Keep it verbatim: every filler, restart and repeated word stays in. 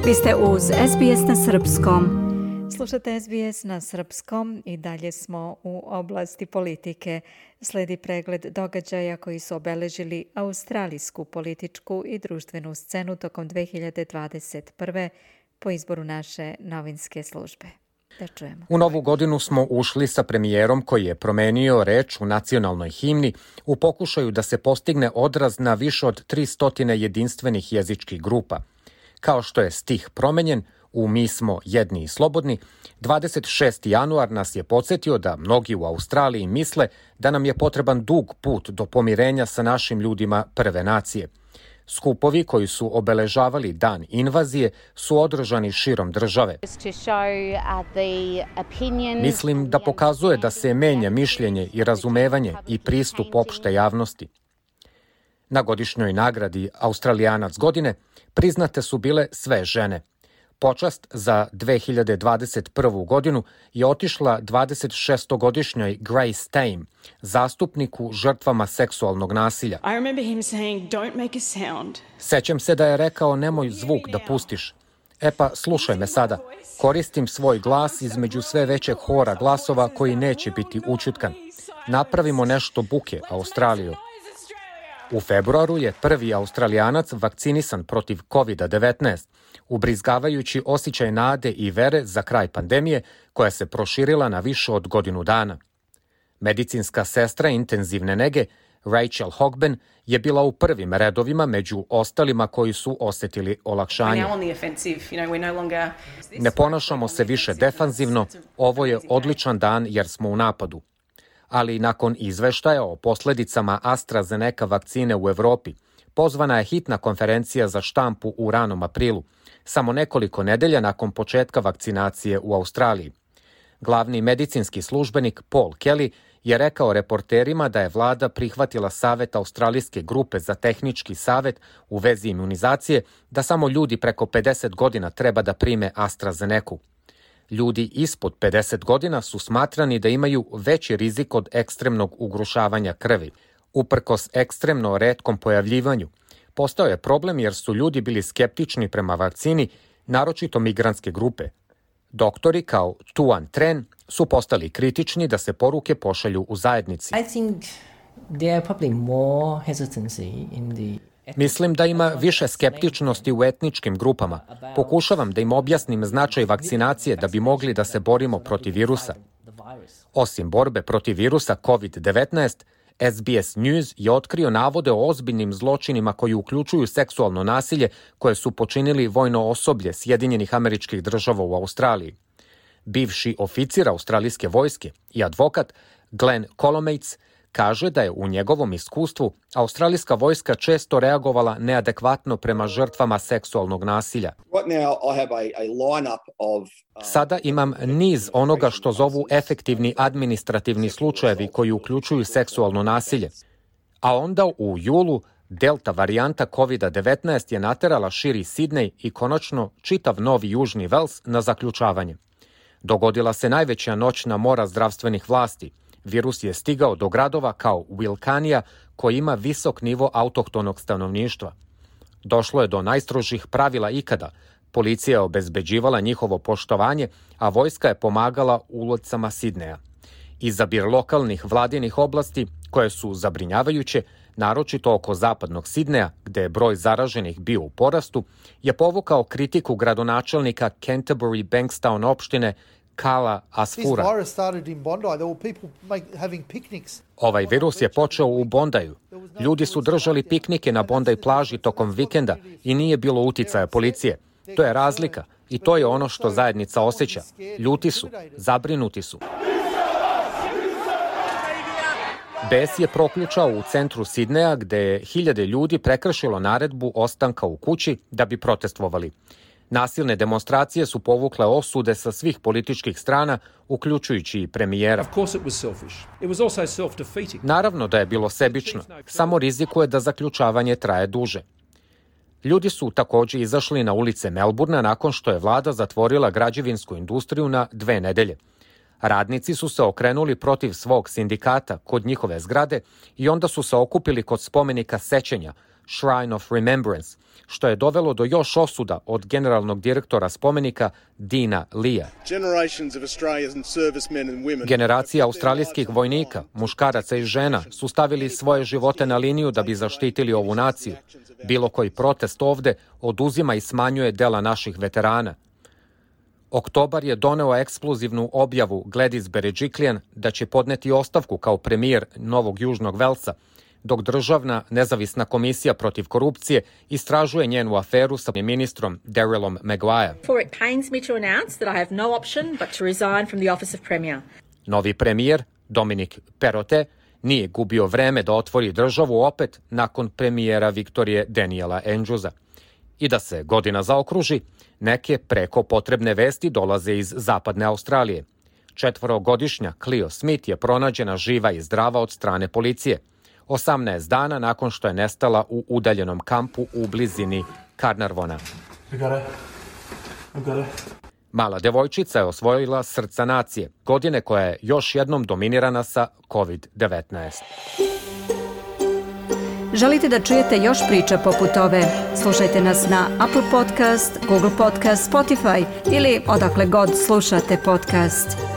Vi ste uz S B S na srpskom. Slušate S B S na srpskom i dalje smo u oblasti politike. Sledi pregled događaja koji su obeležili australijsku političku i društvenu scenu tokom dve hiljade dvadeset prve. po izboru naše novinske službe. Da čujemo. U novu godinu smo ušli sa premijerom koji je promenio reč u nacionalnoj himni u pokušaju da se postigne odraz na više od tristo jedinstvenih jezičkih grupa. Kao što je stih promenjen u Mi smo jedni i slobodni, dvadeset šesti januar nas je podsjetio da mnogi u Australiji misle da nam je potreban dug put do pomirenja sa našim ljudima prve nacije. Skupovi koji su obeležavali dan invazije su održani širom države. Mislim da pokazuje da se menja mišljenje i razumevanje i pristup opšte javnosti. Na godišnjoj nagradi Australijanac godine priznate su bile sve žene. Počast za dve hiljade dvadeset prvu. godinu je otišla dvadesetšestogodišnjoj Grace Tame, zastupniku žrtvama seksualnog nasilja. Sećam se da je rekao nemoj zvuk da pustiš. E pa, slušaj me sada. Koristim svoj glas između sve većeg hora glasova koji neće biti ućutkan. Napravimo nešto buke, Australiju. U februaru je prvi Australijanac vakcinisan protiv kovid devetnaest, ubrizgavajući osjećaj nade i vere za kraj pandemije koja se proširila na više od godinu dana. Medicinska sestra intenzivne nege Rachel Hogben je bila u prvim redovima među ostalima koji su osetili olakšanje. Ne ponašamo se više defanzivno, ovo je odličan dan jer smo u napadu. Ali nakon izveštaja o posledicama AstraZeneca vakcine u Evropi, pozvana je hitna konferencija za štampu u ranom aprilu, samo nekoliko nedelja nakon početka vakcinacije u Australiji. Glavni medicinski službenik Paul Kelly je rekao reporterima da je vlada prihvatila savet australijske grupe za tehnički savet u vezi imunizacije da samo ljudi preko pedeset godina treba da prime AstraZenecu. Ljudi ispod pedeset godina su smatrani da imaju veći rizik od ekstremnog ugrušavanja krvi. Uprkos ekstremno retkom pojavljivanju, postao je problem jer su ljudi bili skeptični prema vakcini, naročito migrantske grupe. Doktori kao Tuan Tren su postali kritični da se poruke pošalju u zajednici. I think there are probably more hesitancy in the Mislim da ima više skeptičnosti u etničkim grupama. Pokušavam da im objasnim značaj vakcinacije da bi mogli da se borimo protiv virusa. Osim borbe protiv virusa kovid devetnaest, S B S News je otkrio navode o ozbiljnim zločinima koji uključuju seksualno nasilje koje su počinili vojno osoblje Sjedinjenih Američkih Država u Australiji. Bivši oficir australijske vojske i advokat Glenn Colomates kaže da je u njegovom iskustvu australijska vojska često reagovala neadekvatno prema žrtvama seksualnog nasilja. Sada imam niz onoga što zovu efektivni administrativni slučajevi koji uključuju seksualno nasilje. A onda u julu delta varijanta kovid devetnaest je naterala širi Sidney i konačno čitav Novi Južni Vels na zaključavanje. Dogodila se najveća noćna mora zdravstvenih vlasti. Virus je stigao do gradova kao Wilcannia, koji ima visok nivo autohtonog stanovništva. Došlo je do najstrožih pravila ikada. Policija je obezbeđivala njihovo poštovanje, a vojska je pomagala ulicama Sidneja. Izabir lokalnih vladinih oblasti, koje su zabrinjavajuće, naročito oko zapadnog Sidneja, gde je broj zaraženih bio u porastu, je povukao kritiku gradonačelnika Canterbury Bankstown opštine Kala Asfura. Ovaj virus je počeo u Bondaju. Ljudi su držali piknike na Bondi plaži tokom vikenda i nije bilo uticaja policije. To je razlika i to je ono što zajednica osjeća. Ljuti su, zabrinuti su. Bes je proključao u centru Sidneja gde je hiljade ljudi prekršilo naredbu ostanka u kući da bi protestvovali. Nasilne demonstracije su povukle osude sa svih političkih strana, uključujući i premijera. Naravno da je bilo sebično, samo rizikuje da zaključavanje traje duže. Ljudi su također izašli na ulice Melburna nakon što je vlada zatvorila građevinsku industriju na dve nedelje. Radnici su se okrenuli protiv svog sindikata kod njihove zgrade i onda su se okupili kod spomenika sećanja, Shrine of Remembrance, što je dovelo do još osuda od generalnog direktora spomenika Dina Lea. Generacija australijskih vojnika, muškaraca i žena su stavili svoje živote na liniju da bi zaštitili ovu naciju. Bilo koji protest ovde oduzima i smanjuje dela naših veterana. Oktobar je doneo ekskluzivnu objavu Gladys Berejiklian da će podneti ostavku kao premijer Novog Južnog Velsa, dok državna nezavisna komisija protiv korupcije istražuje njenu aferu sa ministrom Darrylom Maguire. Novi premijer, Dominic Perrottet, nije gubio vreme da otvori državu opet nakon premijera Viktorije Daniela Andrewsa. I da se godina zaokruži, neke preko potrebne vesti dolaze iz zapadne Australije. Četvorogodišnja Cleo Smith je pronađena živa i zdrava od strane policije, osamnaest dana nakon što je nestala u udaljenom kampu u blizini Carnarvona. Mala devojčica je osvojila srca nacije, godine koja je još jednom dominirana sa kovid devetnaest. Želite da čujete još priča poput ove? Slušajte nas na Apple Podcast, Google Podcast, Spotify ili odakle god slušate podcast.